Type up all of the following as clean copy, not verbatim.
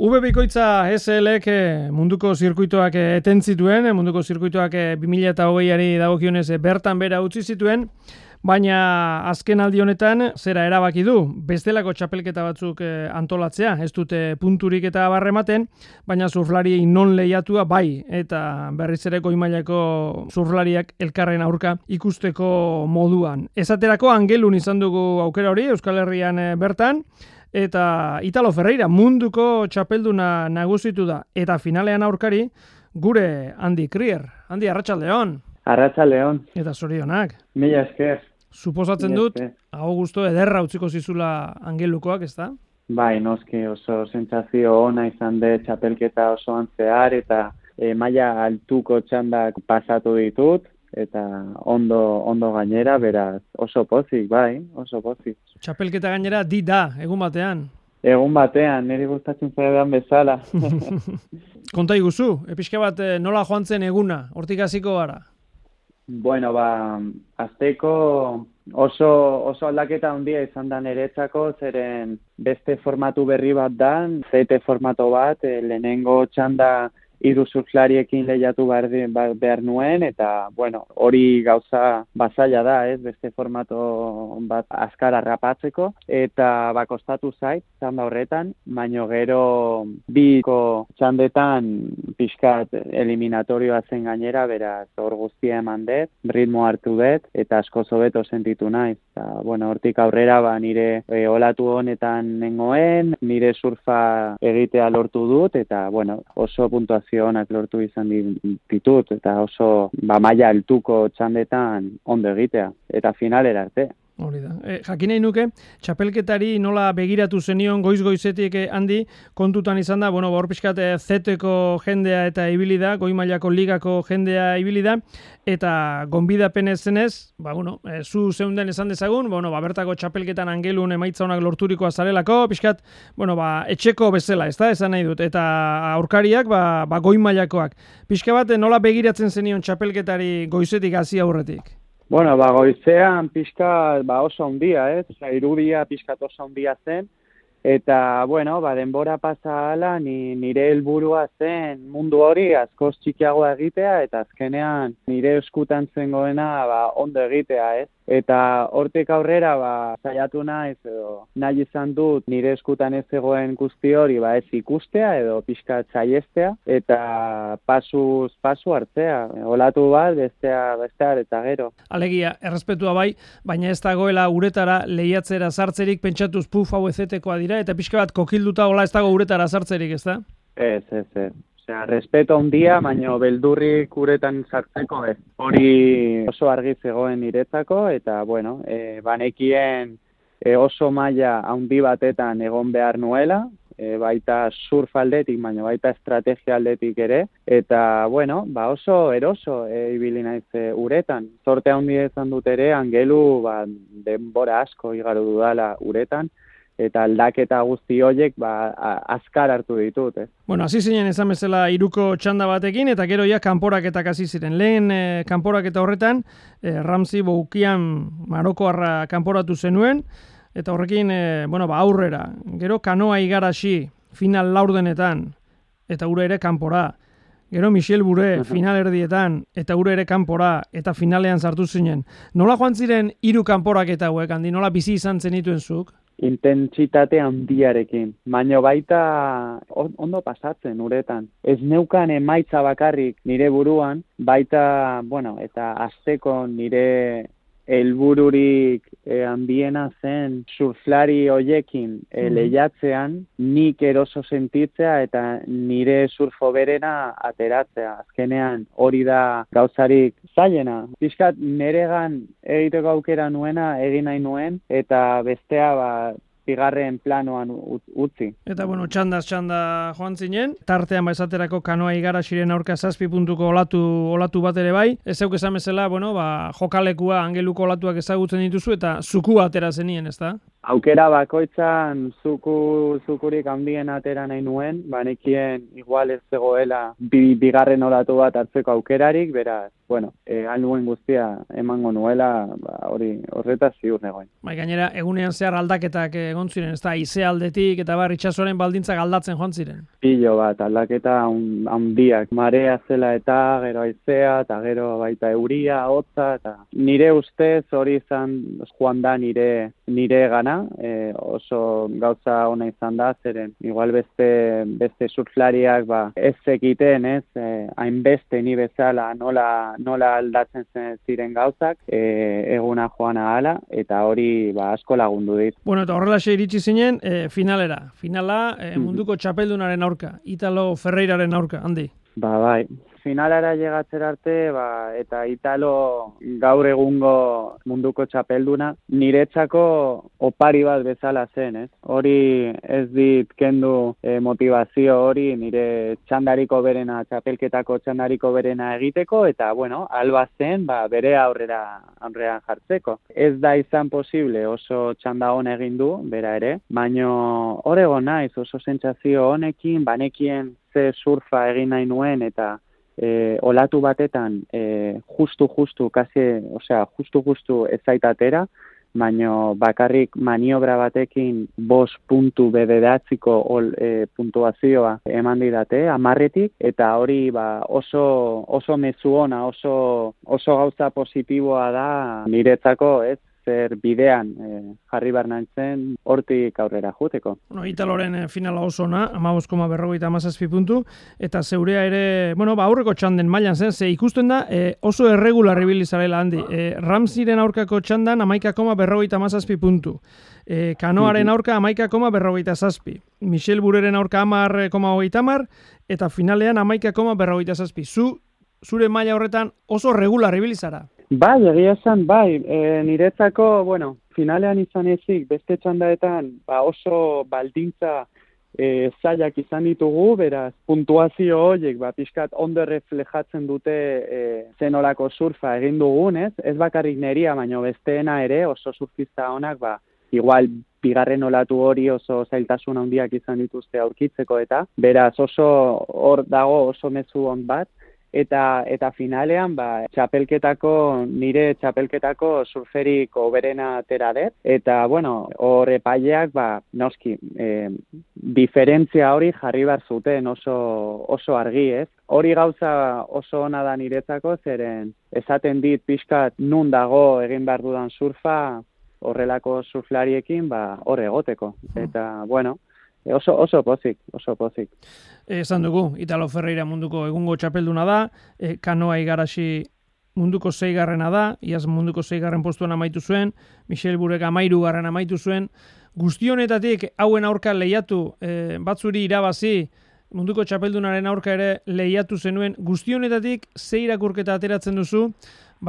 Ube Bikoitza SLek munduko zirkuitoak eten zituen, munduko zirkuitoak 2020ari dagokionez bertan bera utzi zituen, baina azken aldi honetan zera erabaki du, bestelako txapelketa batzuk antolatzea, ez dute punturik eta barrematen, baina surflariei non lehiatua bai, eta berriz ere goi mailako surflariak elkarren aurka ikusteko moduan. Esaterako Angelun izan dugu aukera hori, Euskal Herrian bertan, eta Italo Ferreira munduko txapelduna nagusitu da, eta finalean aurkari gure Andy Krier. Andy, arratsaldeon. Arratsaldeon. Eta zorionak. Mila esker. Suposatzen dut, hau gustu ederra utziko zizula Angelukoak, ez da? Bai, noski oso sentsazio ona izan de txapelketa osoan zehar, eta maila altuko txandak pasatu ditut, eta ondo gainera, beraz oso pozik, bai, oso pozik. Txapelketa gainera da, egun batean. Egun batean, niri gustatzen zaidan bezala. Konta iguzu, pixka bat nola joan zen eguna, hortik hasiko gara? Bueno, azteko oso aldaketa handia izan da niretzako, zeren beste formatu berri bat da, ZT formato bat, lehenengo txanda hiru surflariekin lehiatu behar nuen, eta, bueno, hori gauza bazaila da, beste formato bat azkar harrapatzeko, eta kostatu zait, txanda horretan, baino gero biko txandetan pixkat eliminatorioa zen gainera, beraz, hor guztia eman dut, ritmo hartu dut, eta asko hobeto sentitu naiz. Eta, bueno, hortik aurrera, nire olatu honetan nengoen, nire surfa egitea lortu dut, eta, bueno, oso puntuazio onak lortu izan ditut, eta oso maila altuko txandetan ondo egitea, eta finalera arte. Hori da. Jakin nahi nuke, txapelketari nola begiratu zenion goiz-goizetik Handi, kontutan izan da, hor pixkat ZT-ko jendea eta ibili da, goi mailako ligako jendea ibili da, eta gonbidapenez zenez, zu zeunden esan dezagun, bertako txapelketan Angelun emaitza honak lorturikoa zarelako, pixkat, etxeko bezala, ez da, esan nahi dut, eta aurkariak, goi mailakoak. Pixka bat, nola begiratzen zenion txapelketari goizetik hasi aurretik? Bueno, goizean pixka oso handia, irudia pixka oso handia zen, eta, denbora pasa ala, nire helburua zen mundu hori askoz txikiagoa egitea, eta azkenean nire eskutan zengoena ondo egitea, Eta hortik aurrera saiatu naiz edo nahi izan dut nire eskutan ez zegoen guzti hori ez ikustea edo pixka saiestea eta pasuz pasu hartzea. Olatu bat bestear eta gero. Alegia, errespetua bai, baina ez dagoela uretara lehiatzera sartzerik pentsatuz puf hau ezetekoa dira eta pixka bat kokilduta hola ez dago uretara sartzerik, ez da? Ez. Respeto handia, baina beldurrik uretan sartzeko ez. Hori oso argi zegoen niretzako, eta, banekien oso maila handi batetan egon behar nuela, baita surf aldetik, baina baita estrategia aldetik ere, eta, oso eroso ibili naiz uretan. Zorte handia izan dut ere, Angelu denbora asko igaru dudala uretan, eta aldaketa guzti horiek azkar hartu ditut. Hasi zinen esan bezala hiruko txanda batekin, eta gero kanporaketak hasi ziren. Lehen kanporaketa horretan, Ramzi Boukian Marokoarra kanporatu zenuen, eta horrekin aurrera. Gero Kanoa Igarashi final laurdenetan, eta gure ere kanpora. Gero Michel Bure final erdietan, eta gure ere kanpora, eta finalean sartu zinen. Nola joan ziren hiru kanporaketa hauek, Handi, nola bizi izan zenituen zuk? Intentsitate handiarekin, baina baita ondo pasatzen uretan. Ez neukan emaitza bakarrik nire buruan, baita, eta hasteko nire helbururik handiena zen surflari hoiekin lehiatzean, nik eroso sentitzea eta nire surfo berena ateratzea. Azkenean hori da gauzarik zailena. Pixkat neregan egiteko aukera nuena egin nahi nuen eta bestea bigarren planoan utzi. Eta txanda joan zinen, tartean esaterako Kanoa Igarashiren aurka 7 puntuko olatu bat ere bai. Ez zeuk esan bezala, jokalekua Angeluko olatuak ezagutzen dituzu eta zuku atera zenien, ez da? Aukera bakoitzan zukurik handien atera nahi nuen, banekien igual ez zegoela bigarren olatu bat hartzeko aukerarik, beraz, bueno, alnuen guztia emango nuela, horretaz ziur negoen. Bai, gainera, egunean zehar aldaketak egon ziren, ez da, izealdetik eta itsasoaren baldintzak aldatzen joan ziren. Pilo bat, aldaketa handiak, marea zela eta gero haizea, eta gero baita euria, hotza, eta nire ustez hori joan da nire gana, oso gauza ona izan da, zeren igual beste surflariak ez zekiten, hainbeste ni bezala nola aldatzen ziren gauzak, eguna joan ahala, eta hori asko lagundu dit. Bueno, eta horrelaxe iritsi zinen finalera. Finala munduko txapeldunaren aurka, Italo Ferreiraren aurka, handi. Bai. Finalara llegatzen arte, eta Italo gaur egungo munduko txapelduna, niretzako opari bat bezala zen, ez? Hori ez dit kendu motivazio hori nire txandariko berena, txapelketako txandariko berena egiteko, eta, bueno, alba zen, bere aurrean jartzeko. Ez da izan posible oso txanda hon egin du, bera ere, baino horrego naiz oso sentsazio honekin, banekien ze surfa egin nahi nuen, eta olatu batetan justu ez zaitatera, baino bakarrik maniobra batekin 5 puntu bederatiko puntuazioa eman didate, 10-etik, eta hori oso mezu ona, oso gauza positiboa da niretzako, ez? Zer bidean jarri behar nantzen hortik aurrera juteko. Bueno, Italoren finala oso ona, 15,57 puntu, eta zeurea ere, aurreko txanden mailan zen, ze ikusten da oso erregular ibili zarela handi. Ramsiren aurkako txandan 11,57 puntu. Kanoaren aurka 11,57. Michel Bureren aurka 10,30, eta finalean 11,57. Zure maila horretan oso regular ibili zara. Bai, egia esan, niretzako, finalean izan ezik, beste txandaetan, oso baldintza zailak izan ditugu, beraz, puntuazio horiek, pixkat ondo reflejatzen dute zenolako surfa egin dugun, ez bakarrik neria, baino besteena ere, oso surfista honak, igual, bigarren olatu hori oso zailtasun handiak izan dituzte aurkitzeko, eta beraz, oso hor dago oso mezu on bat, eta finalean nire txapelketako surferik oberena atera dut, eta hor epaileak noski diferentzia hori jarri behar zuten oso argi, ez? Hori gauza oso ona da niretzako, zeren esaten dit pixkat nun dago egin behar dudan surfa horrelako surflariekin hor egoteko, eta oso pozik. Esan dugu, Italo Ferreira munduko egungo txapelduna da, kanoa igaraxi munduko 6. da, iaz munduko 6. postuan amaitu zuen, Michel Burek 13. amaitu zuen, guztionetatik hauen aurka lehiatu, batzuri irabazi, munduko txapeldunaren aurka ere lehiatu zenuen, guztionetatik 6 irakurketa ateratzen duzu,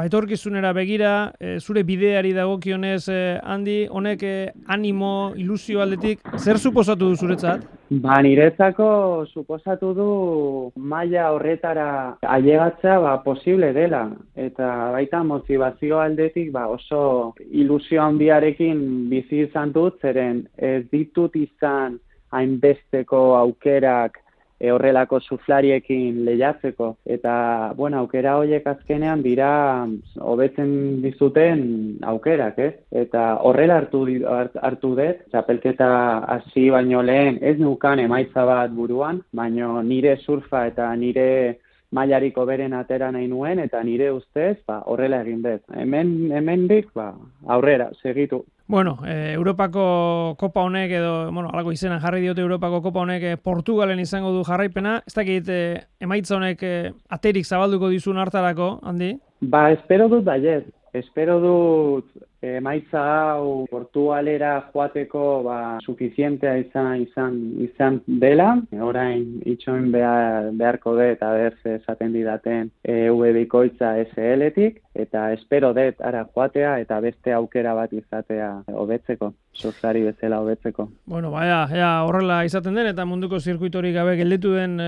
etorkizunera begira, zure bideari dagokionez, handi, honek animo, ilusio aldetik, zer suposatu du zuretzat? Niretzako suposatu du maila horretara ailegatzea posible dela, eta baita motivazio aldetik oso ilusio handiarekin bizi izan dut, zeren ez ditut izan hainbesteko aukerak horrelako surflariekin lehiatzeko. Eta, aukera horiek azkenean dira hobetzen dizuten aukerak, ez? Eta horrela hartu dut, txapelketa hasi baino lehen ez nukan emaitza bat buruan, baino nire surfa eta nire mailarik hoberen atera nahi nuen, eta nire ustez horrela egin dut. Hemendik aurrera, segitu. Europako kopa honek edo, halako izena jarri diote Europako kopa honek Portugalen izango du jarraipena. Ez dakit emaitza honek aterik zabalduko dizun hartarako, handi? Espero dut baiet. Espero dut emaitza hau Portugalera joateko suficientea izan dela. Orain itxoin beharko dut eta esaten didaten bikoitza SL-etik, eta espero dut ara joatea eta beste aukera bat izatea hobetzeko, surflari bezala hobetzeko. Horrela izaten den eta munduko zirkuitorik gabe gelditu den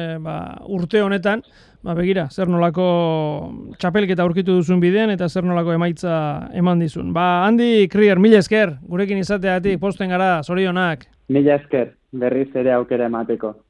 urte honetan, begira, zer nolako txapelketa aurkitu duzun bidean eta zer nolako emaitza eman dizun. Handi Krier, mila esker, gurekin izateatik posten gara, zorionak. Mila esker, berriz ere aukera emateko.